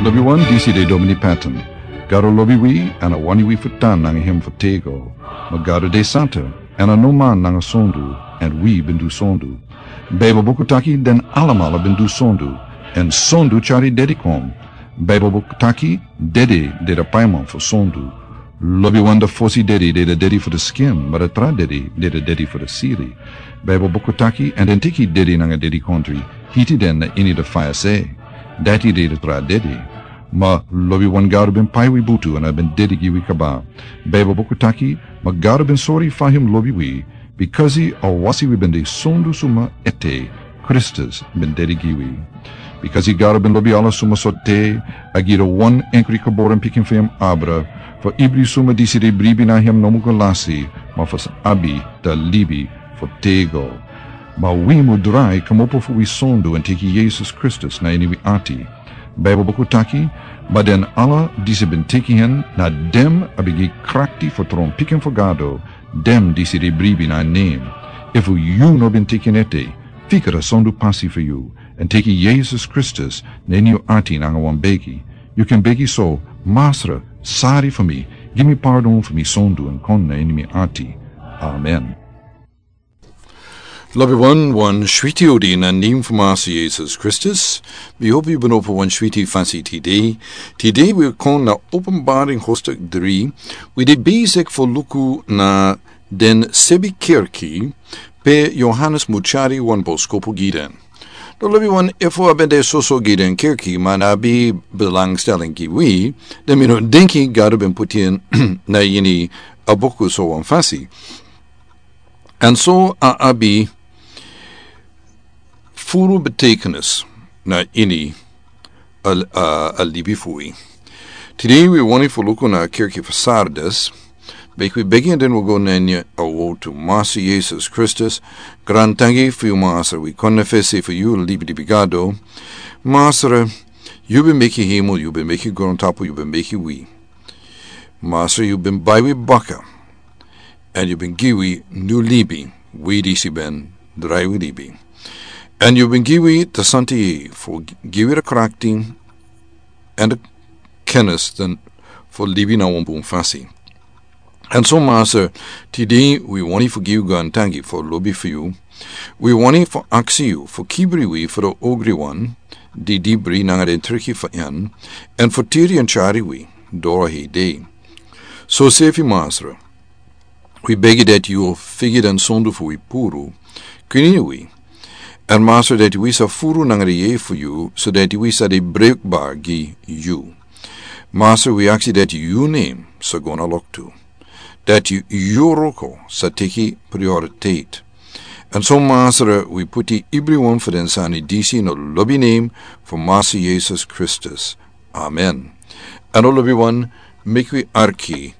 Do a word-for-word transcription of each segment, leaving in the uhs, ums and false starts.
Lobiwan, disi de Domini Patton. Gado lobi wi, èn a wani wi fu tan nanga hem fu tego. Ma Gado de santa, èn a no man nanga sondu, èn wi ben du sondu. Baibel buku taki den alamala ben du sondu, èn sondu tyari dedi kon. Baibel buku taki dede de da paiman fu sondu. Lobiwan, da fosi dedi de da dedi fu da skin, ma da tra dedi de da dedi fu da siri. Baibel buku taki, èn den teki dedi nanga dedikondri, hiti den na ini da faya se. Dati de da tra dedi. Ma lobiwan, Gado ben pai wi butu èn a ben dedi gi wi kaba. Baibel buku taki, ma Gado ben sori fa hem lobi wi, bikasi a wasi wi ben de sondu suma ete, Kristus ben dedi gi wi. Bikasi Gado ben lobi ala suma sortu, a gi da wan enkri geboren pikin fu hem abra, fu ibri suma disi de bribi na hem no mu go lasi, ma fu sa abi da libi fu tego. Ma wi mu drai kmopo fu wi sondu èn teki Yesus Kristus na ini wi ati. Baibel buku taki, ma den ala disi ben teki hen, na den a ben gi krakti fu tron pikin fu Gado, den disi de bribi na nen. Efu yu no ben teki en ete, fika da sondu pasi fu yu, èn teki Yesus Kristus na ini yu ati nanga wan begi. Yu kan begi so: Masra, sari fu mi, gi mi pardon fu mi sondu èn kon na ini mi ati. Amen. Lobiwan, wan switi odi na nen fu Masra Yesus Kristus. Mi hopi yu ben opo wan switi fasi tide. Tide wi kon na Openbaring hoofdstuk dri. Wi de bezig fu luku na den sebi kerki pe Yohanes mu tyari wan boskopu gi den. Dan lobiwan, efu a ben de soso gi den kerki ma a no abi belangstelling gi wi, dan mi no denki Gado ben puti en na ini a buku so wan fasi. Èn so a abi furu betekenis na ini a, a, a libi fu wi. Tide wi wani fu luku na kerki fu Sardes. Meki wi begi èn den wi go na ini a wotu. Masra Yesus Kristus, grantangi fu yu Masra, wi kon na fesi fu yu libi libi Gado. Masra, yu ben meki hemel, yu ben meki grontapu, yu ben meki wi. Masra, yu ben bai wi baka. Èn yu ben gi wi nu libi, wi disi ben drai wi libi. Èn yu ben gi wi da santa yeye fu gi wi da krakti èn da kennis dan fu libi na wan bun fasi. Èn so Masra, tide wi wani fu gi yu grantangi fu lobi fu yu. Wi wani fu aksi yu fu kibri wi fu da ogriwan di dibri nanga den triki fu en, èn fu tiri èn tyari wi doro hei dei. So sefi Masra, wi begi dati yu o figi den sondu fu wi puru, kwini wi. Èn Masra, dati wi sa furu nanga den yeye fu yu, so dati wi sa de brukbar gi yu. Masra, wi aksi dati yu nen sa go na loktu, dati yu wroko sa teki prioritet. Èn so Masra, wi puti ibriwan fu den sani disi na lobi nen fu Masra Yesus Kristus. Amen. Èn lobiwan, meki wi arki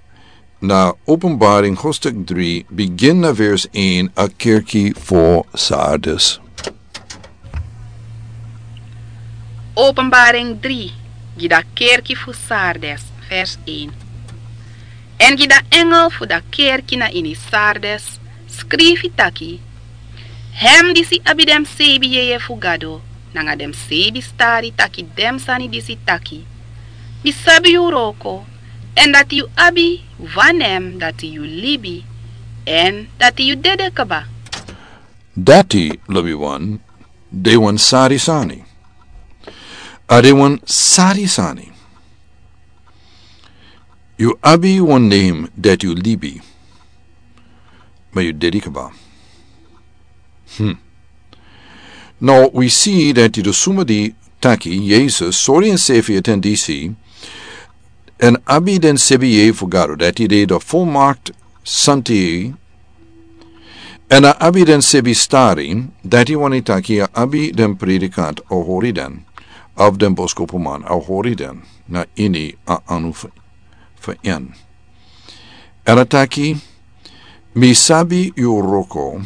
na Openbaring hoofdstuk dri, bigin na vers een, a kerki fu Sardes. Openbaring dri, gi da kerki fu Sardes, vers een. Èn gi da engel fu da kerki na ini Sardes, skrifi taki: Hem disi abi den sebi yeye fu Gado, nanga den sebi stari, taki den sani disi taki: Mi sabi yu wroko, èn dati yu abi wan nen dati yu libi, èn dati yu dede kaba. Dati, lobiwan, de wan sari sani. A de wan sari sani. Yu abi wan nen dati yu libi, ma yu dede kaba. Hmm. Now, wi si dati den suma di taki Yesus sori ensefi ete disi, èn abi den sebi yeye fu Gado, dati de da volmaakt santa yeye, èn a abi den sebi stari, dati wani taki a abi den predikant a hori den, of den boskopuman a hori den na ini a anu fu, fu en. Èn a taki: Mi sabi yu wroko,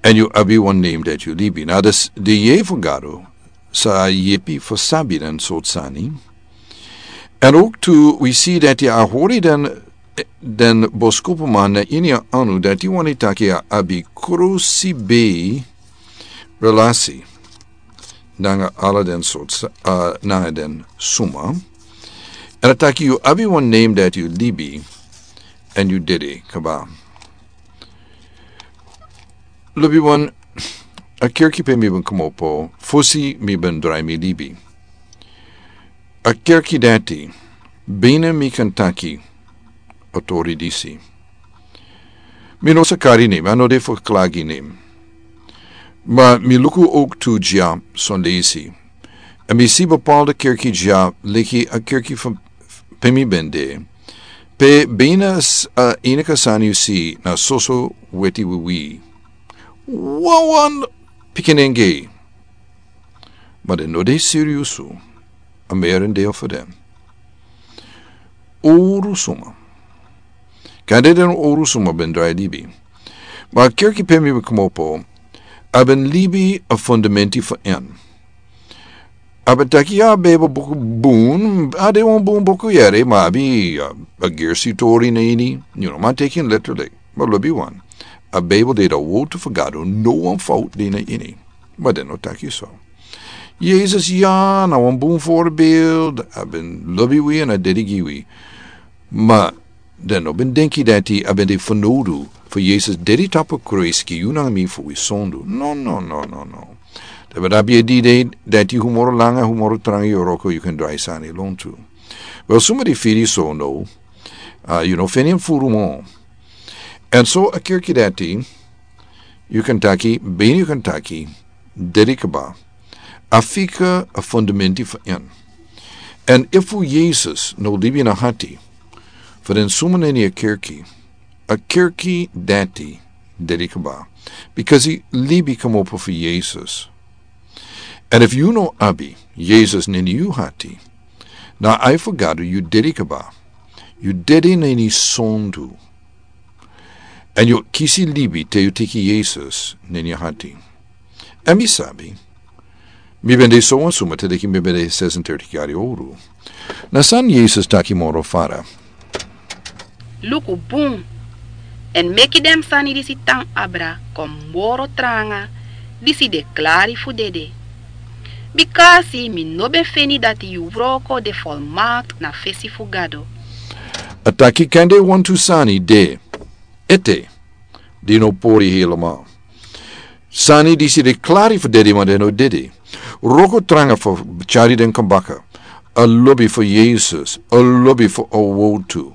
èn yu abi wan nen dati yu libi. Na dus, den yeye fu Gado sa yepi fu sabi den sortu sani. Èn ook tu wi si dati a hori den, den boskopuman na ini a anu, dati wani taki a abi krusi bei relasi. nanga ala den sortu, uh, nanga den suma. Èn a taki yu abi wan name dati yu libi, èn yu dede kaba. Lobi wan, a kerki pe mi ben komopo, fosi mi ben drai mi libi. A kerki dati, bina mi kan taki, a tori disi. Mi no sa kari name, a no de fu klagi name. Ma mi luku ook tu dya son leisi. Èn mi si bepaalde kerki dya, leki a kerki fu pe mi ben de. Pe bina s-, a enige sani yu si na soso weti wiwi. Wawan pikinenge. Ma den no de siriusu. A merendeel fu den. Owru suma. Kande den owru suma ben drai libi. Ma a kerki pe mi ben komopo, a ben libi a fundamenti fu en. A ben taki a Bijbel buku bun, a de wan bun buku yere, ma a abi, a, a gersi tori na ini, you know, man teki en letterlijk. Ma lobi wan. A Bijbel de a woord fu Gado, no wan fout de na ini. Ma den no taki so. Yesus ya, na wan bun voorbeeld, a ben lobi wi èn a dede gi wi. Ma den no ben denki dati a ben de fanowdu fu Yesus dede tapu kruis gi yu nanga mi fu wi sondu. No, no, no, no, no. Den ben abi a idee dati yu moro langa, yu moro tranga yu wroko, yu kan drai sani lontu. Wel, suma di firi so no, a, yu no feni en furu mo. Èn so a kerki dati, yu kan taki, bina yu kan taki, dede kaba. A fika a fundamenti fu en. Èn efu Yesus no libi na hati, fu den suma na ini a kerki, a kerki dati dede kaba. Because yu libi komopo fu Yesus. Èn efu yu no abi Yesus na ini yu hati, na ai fu Gado yu dede kaba. Yu dede na ini sondu. Èn yu o kisi libi te yu teki Yesus na ini yu hati. Èn mi sabi, mi ben de so wan suma te leki mi ben de sesendertig yari owru. Na san Yesus taki moro fara. Luku bun, èn meki den sani disi tan abra kon moro tranga, disi de klari fu dede. Bikasi mi no ben feni dati yu wroko de volmaakt na fesi fu Gado. A taki kande wantu sani de ete, di no pori helemaal. Sani disi de klari fu dede ma den no dede. Wroko tranga fu tyari den kon baka. A lobi fu Yesus, a lobi fu a wowtu.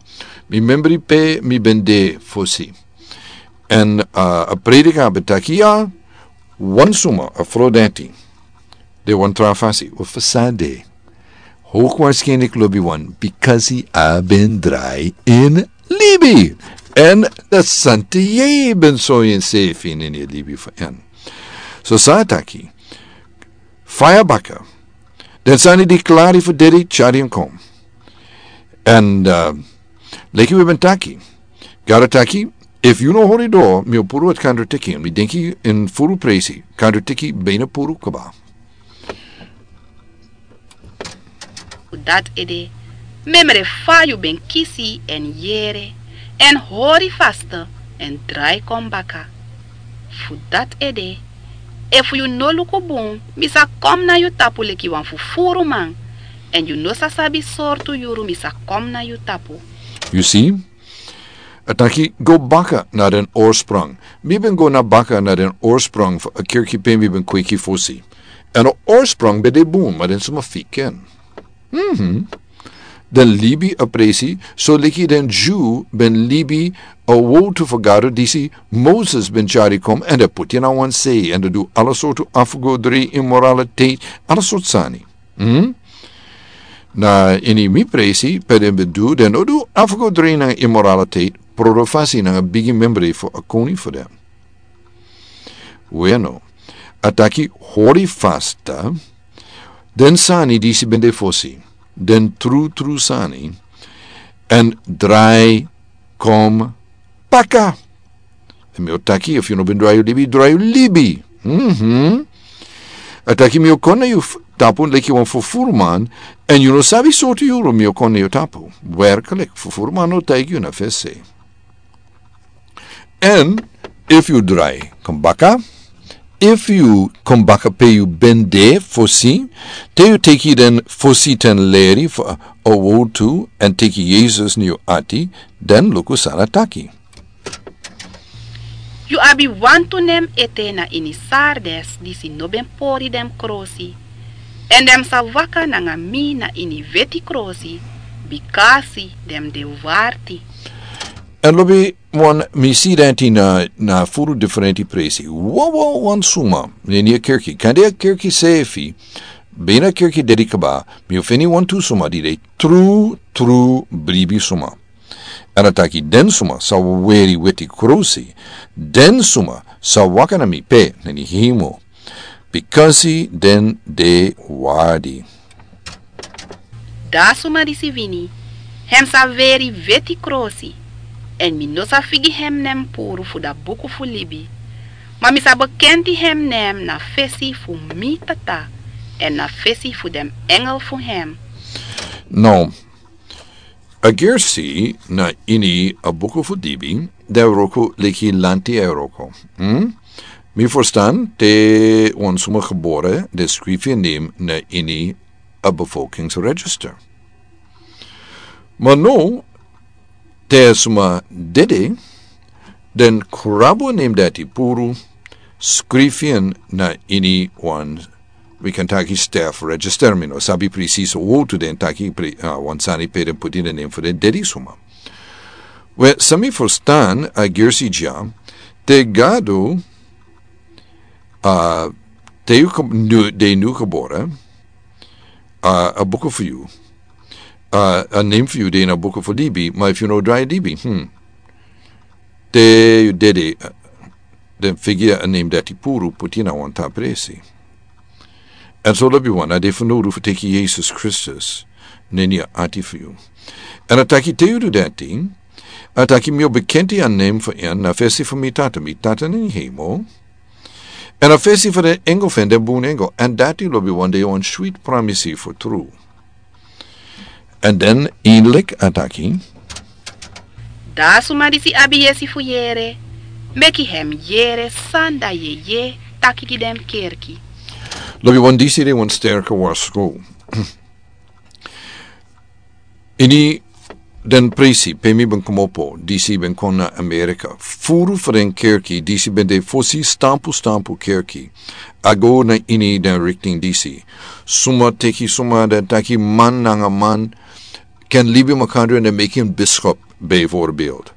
Mi membri pe mi ben de fosi. Èn, a, a predika ben taki ya, wan suma, a frow dati. De wan tra fasi, wi fu san de. Hoogwaarschijnlijk lobi wan, bikasi a ben drai in libi. Èn dati santi yu ben sori ensefi na ini a libi fu en. So san a taki, faya baka. Den sani di klari fu dede tyari en kon. Èn, a, leki wi ben taki. Gado taki, efu yu no hori doro, mi o puru a kandrateki, mi denki en furu presi, kandrateki bina puru kaba. Fu dati ede, memre fa yu ben kisi èn yere, èn hori faste, èn drai kon baka. Fu dati ede, efu yu no luku bun, mi sa kon na yu tapu leki wan fufuruman, èn yu no sa sabi sortu yuru mi sa kon na yu tapu. Yu si? A taki go baka na den oorsprong. Mi ben go na baka na den oorsprong fu a kerki pe mi ben kweki fosi. Èn a oorsprong ben de bun, ma den suma fika en. Mhm. Den libi a presi, so leki den Dyu ben libi a wowtu fu Gado disi Moses ben tyari kon, èn den poti en na wan sei, èn den du ala sortu afgodri, immoraliteit, ala sortu sani. Mhm. Na ini mi presi, pe den ben du, den no du afgodri nanga immoraliteit, prodofasi nanga bigi membri fu a koni fu den. Bueno, a taki hori fasta, den sani disi ben de fosi, den trutru sani, èn drai kon baka. Èn mi o taki, efu yu no ben drai yu libi, drai yu libi. Mhm. A taki mi o kon na yu f-, tapu leki wan fufuruman, èn yu no sabi sortu yuru mi o kon na yu tapu. Werkelijk, fufuruman no taigi yu na fesi. Èn efu yu drai kon baka, Efu yu kon baka pe yu ben de fosi, te yu teki den fosi ten leri fu a wowtu èn teki Yesus na yu ati, den luku san a taki. Yu abi wantu nen ete na ini Sardes disi no ben pori den krosi, èn den sa waka nanga mi na ini weti krosi, bikasi den de warti. Èn lobi wan mi si dati na, na furu diferenti presi. Wawa wan suma, na ini a kerki. Kande a kerki sefi, ben a kerki dede kaba, mi o feni wantu suma di de tru, tru bribi suma. Èn a taki den suma sa weri weti krosi, den suma sa waka na mi pe na ini hemel. Bikasi den de warti. Da suma disi wini, hem sa weri weti krosi, èn mi no sa figi hem nen puru fu da buku fu libi. Ma mi sa bekenti hem nen na fesi fu mi tata, èn na fesi fu den engel fu hem. No, a gersi na ini a buku fu libi, de wroko leki lanti e wroko. Hm? Mi ferstan, te wan suma gebore, de skrifi en nen na ini a bevolkingsregister. Ma no, te a suma dede, den krabu a nen dati puru, skrifi en na ini wan, wi kan taki staff register, mi no sabi presis a wowtu den taki pre-, ah, wan sani pe den puti den nen fu den dede suma. We, san mi ferstan, a gersi dya, te Gado, ah, te yu kom-, nu, de nu gebore, ah, a buku fu yu. Ah, a nen fu yu de na buku fu libi, ma efu yu no drai libi, hm. Te yu dede, ah, den figi a nen dati puru puti na wan tra presi. Èn so lobi wan, a de fanowdu fu teki Yesus Kristus na ini a ati fu yu. Èn a taki te yu du dati, a taki mi o bekenti a nen fu en na fesi fu mi tata, mi tata na ini hemel. Èn a fesi fu den engel fu en, den bun engel, èn dati lobi wan de wan switi pramisi fu tru. Èn den eindelijk a taki. Da suma disi abi yesi fu yere, meki hem yere san da yeye taki gi den kerki. Lobi wan, disi de wan sterke warskow. Ini den presi pe mi ben komopo, disi ben kon na Amerika. Furu fu den kerki, disi ben de fosi stampu stampu kerki. A go na ini den riktin disi. Suma teki suma den taki man nanga man ken libi makandra èn den meki en biskop, bijvoorbeeld.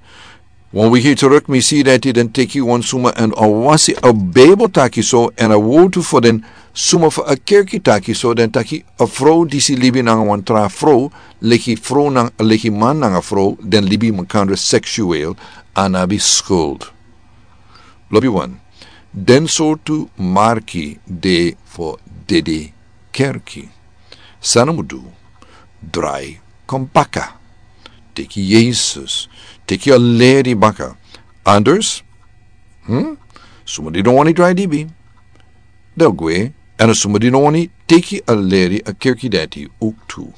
Wan wiki teruk mi si dati den teki wan suma èn a wasi, a Bijbel taki so, èn a wowtu fu den suma fu a kerki taki so, den taki a frow disi libi nanga wan tra frow, leki frow nanga, leki man nanga frow, den libi makandra seksueel, a no abi skuld. Lobi wan, den sortu marki de fu dede kerki. San a mus du, drai kon baka. Teki Yesus, teki a leri baka. Anders, hm? Suma di no wani drai libi, den o gwe, èn a suma di no wani teki a leri a kerki dati ook tu.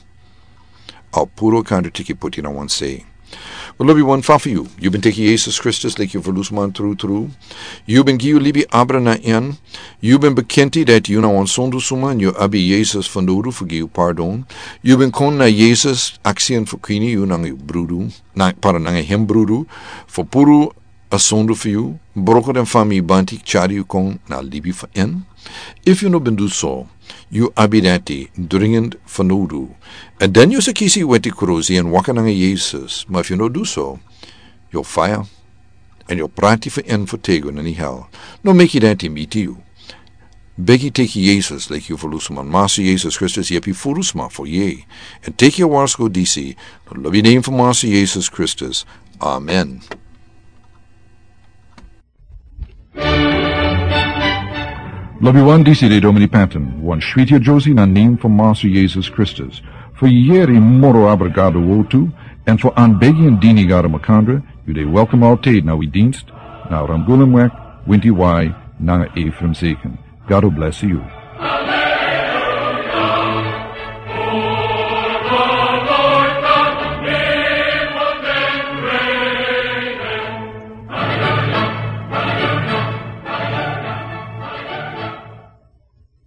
A puru a kandra teki poti na wan sei. Lobi wan, fa fu yu, yu ben teki Yesus Kristus leki yu ferlusman tru tru. Yu ben gi yu libi abra na en. Yu ben bekenti dati yu na wan sondu suma èn yu abi Yesus fanowdu fu gi yu pardon. Yu ben kon na Yesus aksi en fu kwini yu nanga yu brudu, na, para nanga hem brudu, fu puru a sondu fu yu, broko den famibanti, tyari yu kon na libi fu en. Efu yu no ben du so, yu abi dati dringend fanowdu. Èn den yu sa kisi weti krusi èn waka nanga Yesus. Ma efu yu no du so, yu o faya. Èn yu o prati fu en fu têgo na ini hel. No meki dati miti yu. Begi teki Yesus leki yu ferlusman. Master Yesus Kristus yepi ferlusman fu yeye. Èn teki a warskow disi, na lobi nen fu Master Yesus Kristus. Amen. Lobi wan, disi de Domini Patton, wan switi a Josie na nen fu Master Yesus Kristus. Fu yere moro abra Gado wowtu, èn fu anbegi èn dini Gado makandra, yu de welkom altijd na wi dienst, na Ramgulumweg, winti wai, nanga Ephraim Zeken. Gado bless yu.